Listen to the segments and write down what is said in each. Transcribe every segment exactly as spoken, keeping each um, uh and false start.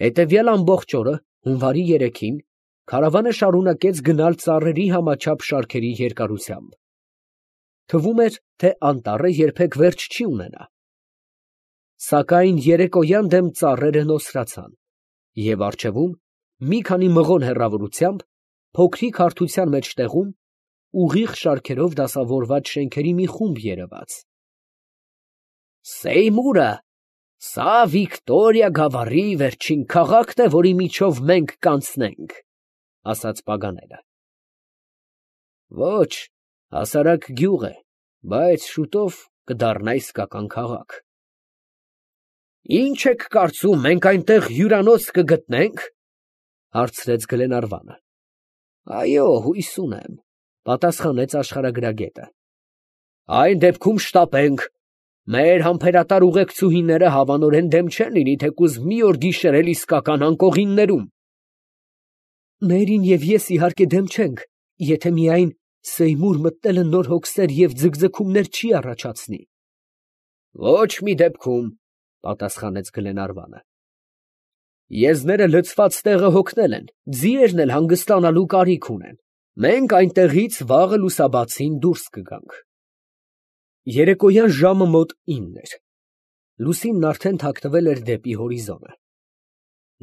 Հետևյալ ամբողջ օրը, հունվարի երեքին, քարավանը շարունակեց գնալ ծառերի համաչափ շարքերի երկարությամբ. թվում էր, թե անտառը երբեք վերջ չի ունենա. սակայն երեկոյան դեմ ծառերը նոսրացան, և առջևում, մի քանի մղոն հեռավորությամբ, փոքրիկ հարթության մեջտեղում, ուղիղ շարքերով դասավորված շենքերի մի խումբ երևաց։ «Սեյմուրը, սա Վիկտորիա գավառի վերջին քաղաքն է, որի միջով մենք կանցնենք», ֊ ասաց Պագանելը։ «Ոչ, հասարակ գյուղ է, բայց շուտով կդառնա իսկական քաղաք»։ «Ի՞նչ եք կարծում, մենք այնտեղ հյուրանոց կգտնենք, ֊ հարցրեց Գլենարվանը։ ֊ Այո, հույս ունեմ, ֊ պատասխանեց աշխարհագրագետը։ ֊ Այն դեպքում շտապենք. մեր համբերատար ուղեկցուհիները հավանորեն դեմ չեն լինի թեկուզ մի օր գիշերել իսկական անկողիններում։ ֊ Մերին և ես, իհարկե, դեմ չենք, եթե միայն Սեյմուր մտնելը նոր հոգսեր և ձգձգումներ չի առաջացնի։ ֊ Ոչ մի դեպքում, ֊ պատասխանեց Գլենարվանը։ Եզները լցված տեղը հոգնել են, ձիերն էլ հանգստանալու կարիք ունեն, մենք այնտեղից վաղը լուսաբացին դուրս կգանք։ Երեկոյան ժամը մոտ ինն էր. լուսինն արդեն թաքնվել էր դեպի հորիզոնը։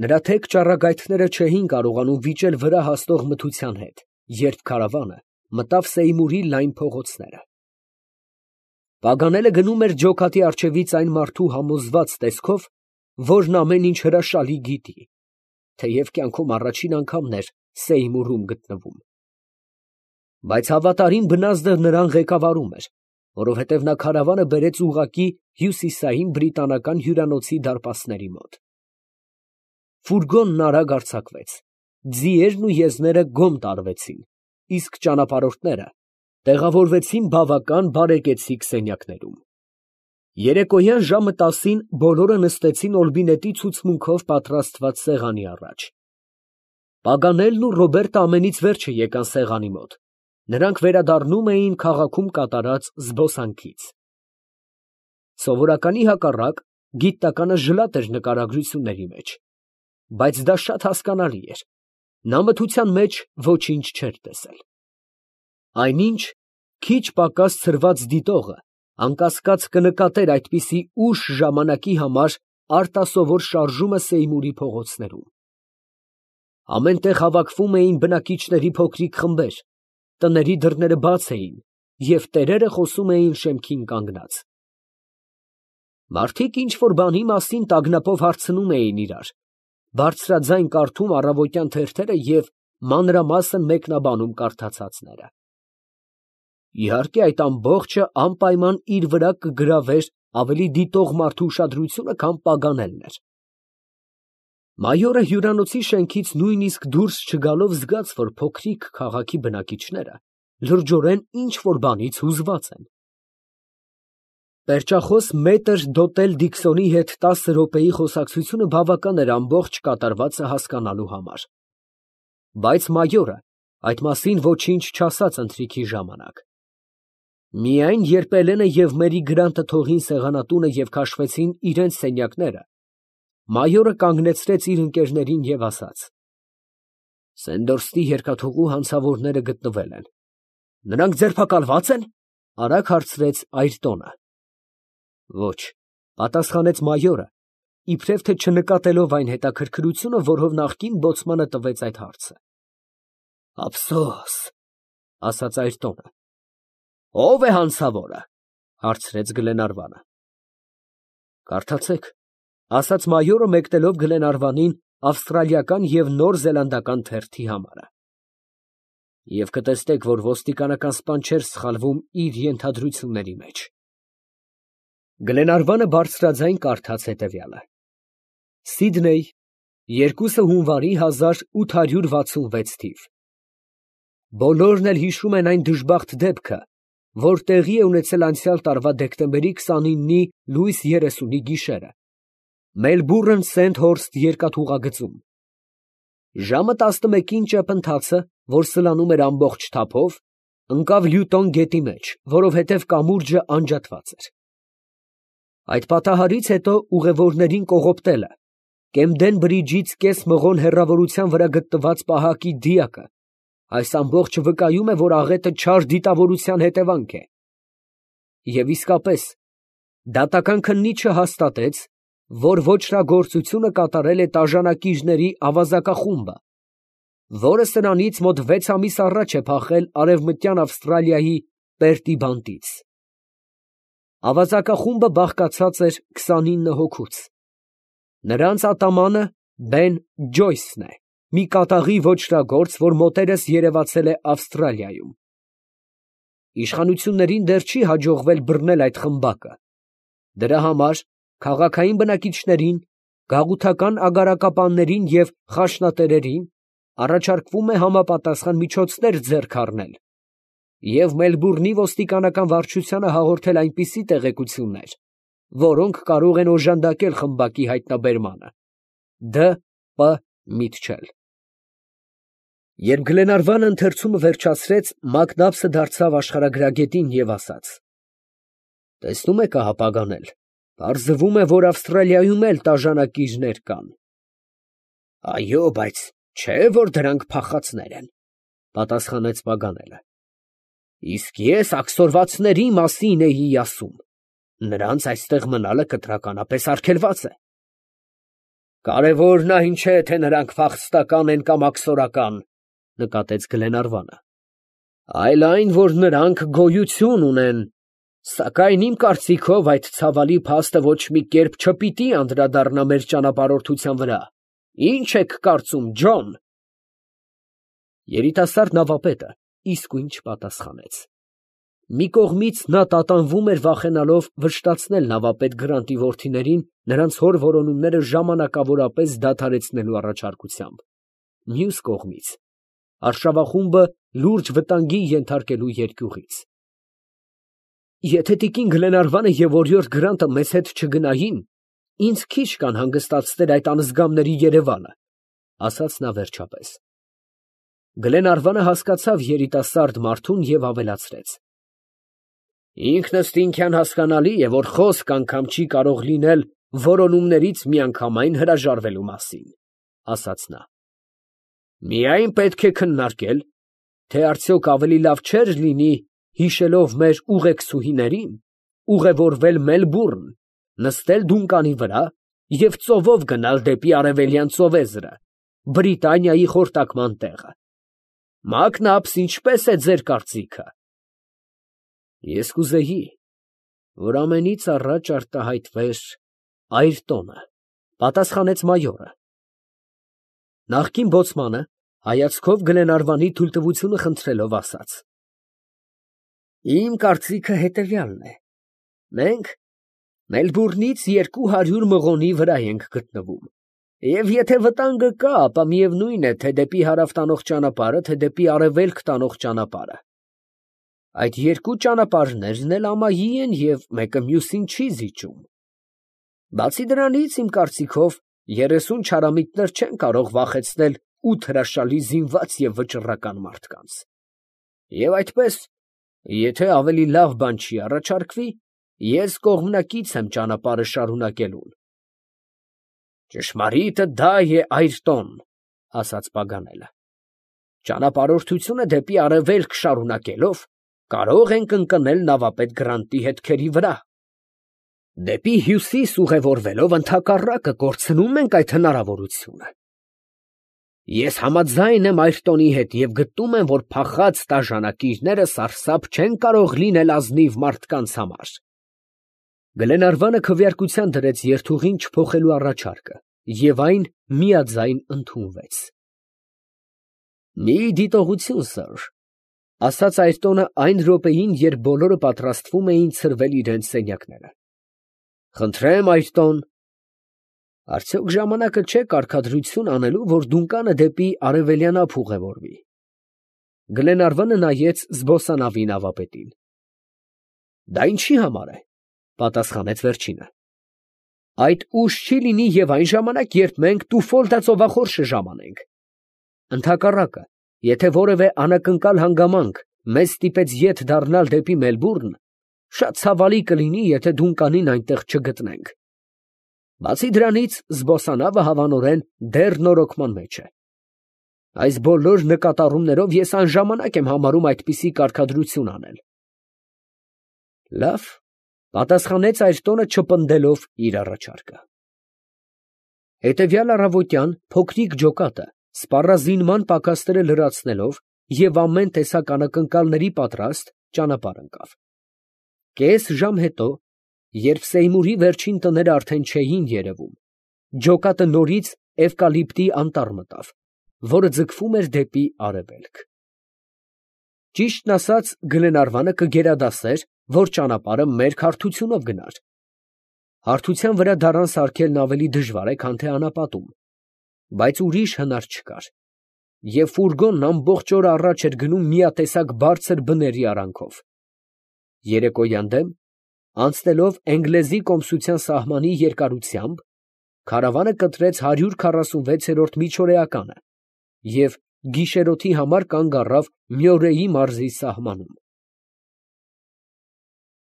Նրա թեք ճառագայթները չէին կարողանում վիճել վրա հասնող մթության հետ, երբ քարավանը մտավ Սեյմուրի լայն փողոցները։ Պագանելը գնում էր ջոկատի առջևից այն մարդու համոզված տեսքով, որն ամեն ինչ հրաշալի գիտի, թեև կյանքում առաջին անգամն էր Սեյմուրում գտնվում։ Բայց հավատարիմ բնազդը նրան ղեկավարում էր, որովհետև նա քարավանը բերեց ուղղակի հյուսիսային բրիտանական հյուրանոցի դարպասների մոտ։ Ֆուրգոնն արագ արձակվեց, ձիերն ու եզները գոմ տարվեցին, իսկ ճանապարհորդները տեղավորվեցին բավական բարեկեցիկ սենյակներում։ Երեկոյան ժամը տասին բոլորը նստեցին օրբինետի ցուցմունքով պատրաստված սեղանի առաջ։ Պագանելն ու Ռոբերտը ամենից վերջը եկան սեղանի մոտ, նրանք վերադառնում էին քաղաքում կատարած զբոսանքից։ Սովորականի հակառակ, գիտականը ժլատ էր նկարագրությունների մեջ, բայց դա շատ հասկանալի էր, նա մթության մեջ ոչինչ չէր տեսել։ Այնինչ, քիչ պակաս ցրված դիտողը անկասկած կնկատեր այդպիսի ուշ ժամանակի համար արտասովոր շարժումը Սեյմուրի փողոցներում։ Ամեն տեղ հավաքվում էին բնակիչների փոքրիկ խմբեր, տների դռները բաց էին, և տերերը խոսում էին շեմքին կանգնած։ Մարդիկ ինչ֊որ բանի մասին տագնապով հարցնում էին իրար, բարձրաձայն կարդում առավոտյան թերթերը և մանրամասն մեկնաբանում կարդացածները։ Իհարկե, այդ ամբողջը անպայման իր վրա կգրավեր ավելի դիտող մարդու ուշադրությունը, քան Պագանելն էր։ Մայորը հյուրանոցի շենքից նույնիսկ դուրս չգալով զգաց, որ փոքրիկ քաղաքի բնակիչները լրջորեն ինչ֊որ բանից հուզված են։ Պերճախոս մետր դոտել Դիքսոնի հետ տասը րոպեի խոսակցությունը բավական էր ամբողջ կատարվածը հասկանալու համար։ Բայց մայորը այդ մասին ոչինչ չասաց ընթրիքի ժամանակ։ Միայն երբ Էլենը և Մերի Գրանտը թողին սեղանատունը և քաշվեցին իրենց սենյակները, մայորը կանգնեցրեց իր ընկերներին և ասաց. «Սենդորսթի երկաթուղու հանցավորները գտնվել են»։ ֊ Նրանք ձերբակալվա՞ծ են, ֊ արագ հարցրեց Այրտոնը։ ֊ Ոչ, ֊ պատասխանեց մայորը, իբրև թե չնկատելով այն հետաքրքրությունը, որով նախկին բոցմանը տվեց այդ հարցը։ ֊ Ափսոս, ֊ ասաց Այրտոնը։ ֊ Ո՞վ է հանցավորը, ֊ հարցրեց Գլենարվանը։ ֊ Կարդացեք, ֊ ասաց մայորը, մեկնելով Գլենարվանին ավստրալիական և նոր զելանդական թերթի համարը։ Եվ կտեսնեք, որ ոստիկանական սպան չէր սխալվում իր ենթադրությունների մեջ։ Գլենարվանը բարձրաձայն կարդաց հետևյալը. Սիդնեյ, երկուսը հունվարի հազար ութ հարյուր վաթսունվեց թիվ։ Բոլորն էլ հիշում են այն դժբախտ դեպքը, որ տեղի է ունեցել անցյալ տարվա դեկտեմբերի քսանինի լույս երեսունի գիշերը Մելբուրն Սենթհորսթ երկաթուղագծում։ Ժամը տասնմեկին ճեպընթացը, որ սլանում էր ամբողջ թափով, ընկավ Լյուտոն գետի մեջ, որովհետև կամուրջը անջատված էր։ Այդ պատահարից հետո ուղևորներին կողոպտելը, Կեմդեն բրիջից կես մղոն հեռավորության վրա գտնված պահակի դիակը, այս ամբողջը վկայում է, որ աղետը չար դիտավորության հետևանք է։ Եվ իսկապես, դատական քննիչը հաստատեց, որ ոճրագործությունը կատարել է տաժանակիչների ավազակախումբը, որը սրանից մոտ վեց ամիս առաջ է փախել Արևմտյան Ավստրալիայի Պերտի բանտից։ Ավազակախումբը բաղկացած էր քսանինը հոգուց։ Նրանց ատամանը Բեն Ջոյսն է, մի կատաղի ոճրագործ, որ մոտերս երևացել է Ավստրալիայում։ Իշխանություններին դեռ չի հաջողվել բռնել այդ խմբակը։ Դրա համար քաղաքային բնակիչներին, գաղութական ագարակապաններին և խաշնատերերին առաջարկվում է համապատասխան միջոցներ ձեռք առնել և Մելբուրնի ոստիկանական վարչությանը հաղորդել այնպիսի տեղեկություններ, որոնք կարող են օժանդակել խմբակի հայտնաբերմանը։ Դ. Պ. Միտչել։ Երբ Գլենարվանը ընթերցումը վերջացրեց, Մակնաբսը դարձավ աշխարհագրագետին և ասաց. «Տեսնում եք ահա պագանել, պարզվում է, որ Ավստրալիայում էլ տաժանակիչներ կան»։ «Այո, բայց չէ, որ դրանք փախածներ են», պատասխանեց Պագանելը։ «Իսկ ես աքսորվածների մասին էի ասում. նրանց այստեղ մնալը կտրականապես արգելված է»։ «Կարևորն այն չէ, թե նրանք փախստական են կամ աքսորական, ֊ նկատեց Գլենարվանը, ֊ այլ այն, որ նրանք գոյություն ունեն, սակայն իմ կարծիքով այդ ցավալի փաստը ոչ մի կերպ չպիտի անդրադառնա մեր ճանապարհորդության վրա։ Ի՞նչ եք կարծում, Ջոն»։ Երիտասարդ նավապետը իսկույն չպատասխանեց։ Մի կողմից նա տատանվում էր վախենալով վշտացնել նավապետ Գրանտի որդիներին նրանց հոր որոնումները ժամանակավորապես դադարեցնելու առաջարկությամբ, մյուս կողմից արշավախումբը լուրջ վտանգի ենթարկելու երկյուղից։ «Եթե տիկին Գլենարվանը և օրիորդ Գրանտը մեզ հետ չգնային, ինձ քիչ կան հանգստացնել այդ անզգամների երևանը», ֊ ասաց նա վերջապես։ Գլենարվանը հասկացավ երիտասարդ մարդուն և ավելացրեց. «Ինքնըստինքյան հասկանալի է, որ խոսք անգամ չի կարող լինել որոնումներից միանգամայն հրաժարվելու մասին», ֊ ասաց նա։ «Միայն պետք է քննարկել, թե արդյոք ավելի լավ չէր լինի, հիշելով մեր ուղեկցուհիներին, ուղևորվել Մելբուրն, նստել դունկանի վրա և ծովով գնալ դեպի Արևելյան ծովեզրը, Բրիտանիայի խորտակման տեղը։ Մակնաբս, ինչպե՞ս է ձեր կարծիքը»։ «Ես կուզեի, որ ամենից առաջ արտահայտվեր Այրտոնը», ֊ պատասխանեց մայորը։ Նախկին բոցմանը հայացքով Գլենարվանի թույլտվությունը խնդրելով ասաց. «Իմ կարծիքը հետևյալն է. մենք Մելբուրնից երկու հարյուր մղոնի վրա ենք գտնվում, և եթե վտանգը կա, ապա միևնույն է, թե դեպի հարավ տանող ճանապարհը, թե դեպի արևելք տանող ճանապարհը։ Այդ երկու ճանապարհներն էլ ամայի են և մեկը մյուսին չի զիջում։ Բացի դրանից, իմ կարծիքով, երեսուն չարամիտներ չեն կարող վախեցնել ութ հրաշալի զինված և վճռական մարդկանց։ Եվ այդպես, եթե ավելի լավ բան չի առաջարկվի, ես կողմնակից եմ ճանապարհը շարունակելուն»։ «Ճշմարիտը դա է, Այրտոն, ֊ ասաց Պագանելը, ֊ ճանապարհորդությունը դեպի արևելք շարունակելով, կարող ենք ընկնել նավապետ Գրանտի հետքերի վրա։ Դեպի հյուսիս ուղևորվելով, ընդհակառակը, կորցնում ենք այդ հնարավորությունը։ Ես համաձայն եմ Այրտոնի հետ և գտնում եմ, որ փախած տաժանակիչները սարսափ չեն կարող լինել ազնիվ մարդկանց համար»։ Գլենարվանը քվեարկության դրեց երթուղին չփոխելու առաջարկը, և այն միաձայն ընդունվեց։ «Մի դիտողություն, սըր, ֊ ասաց Այրտոնը այն րոպեին, երբ բոլորը պատրաստվում էին ցրվել իրենց սենյակները։ ֊ Խնդրեմ, Այրտոն, արդյոք ժամանակը չէ կարգադրություն անելու, որ դունկանը դեպի արևելյան ափ ուղևորվի։ Գլենարվանը նայեց զբոսանավի նավապետին։ ֊ Դա ինչի համար է, ֊ պատասխանեց վերջինը։ ֊ Այդ ուշ չի լինի և այն ժամանակ, երբ մենք Տուֆոլդա ծովախորշը ժամանենք։ Ընդհակառակը, եթե որևէ անակնկալ հանգամանք մեզ ստիպեց ետ դառնալ դեպի Մելբուրն, շատ ցավալի կլինի, եթե դունկանին այնտեղ չգտնենք։ Բացի դրանից, զբոսանավը հավանորեն դեռ նորոգման մեջ է։ Այս բոլոր նկատառումներով ես անժամանակ եմ համարում այդպիսի կարգադրություն անել։ Լավ, պատասխանեց Այրտոնը, չպնդելով իր առաջարկը։ Հետևյալ առավոտյան փոքրիկ ջոկատը, սպառազինման պակասները լրացնելով և ամեն տեսակ անակնկալների պատրաստ, ճանապարհ ընկավ։ Կես ժամ հետո, երբ Սեյմուրի վերջին տները արդեն չէին երևում, ջոկատը նորից էվկալիպտի անտառ մտավ, որը ձգվում էր դեպի արևելք։ Ճիշտն ասած, Գլենարվանը կգերադասեր, որ ճանապարհը մերկ հարթությունով գնար։ Հարթության վրա դարան սարքելն ավելի դժվար է, քան թե անապատում, բայց ուրիշ հնար չկար, և ֆուրգոնն ամբողջ օրը առաջ էր գնում միատեսակ բարձր բների արանքով։ Երեկոյան դեմ, անցնելով Էնգլեզի կոմսության սահմանի երկարությամբ, քարավանը կտրեց հարյուր քառասունվեցերորդ միջօրեականը և գիշերօթի համար կանգ առավ Մյորեի մարզի սահմանում։